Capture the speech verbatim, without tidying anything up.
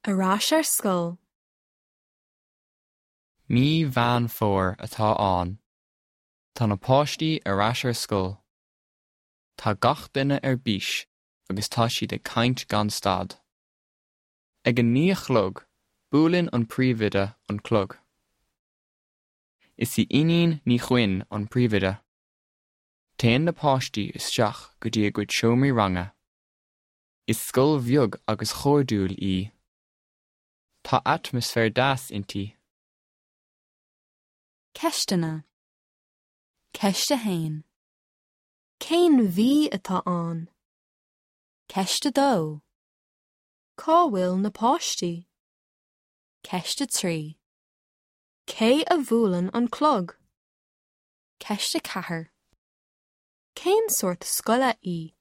Ar ais ar scoil. Mí Mheán Fómhair atá ann. Tá na páistí ar ais ar scoil. Tá gach duine ar bís agus tá siad ag caint gan stad. Ag a naoi a chlog, buaileann an príomhoide an clog. Is í Iníon Ní Chuinn an príomhoide. Téann na páistí isteach go dtí a gcuid seomraí ranga. Is scoil bheag agus chairdiúil í. Tá atmaisféar deas inti. Ceisteanna. Ceist a haon. Cén mhí atá ann? Ceist a dó. Cá bhfuil na páistí? Ceist a trí. Cé a bhuaileann an clog? Ceist a ceathair. Cén sórt scoile í?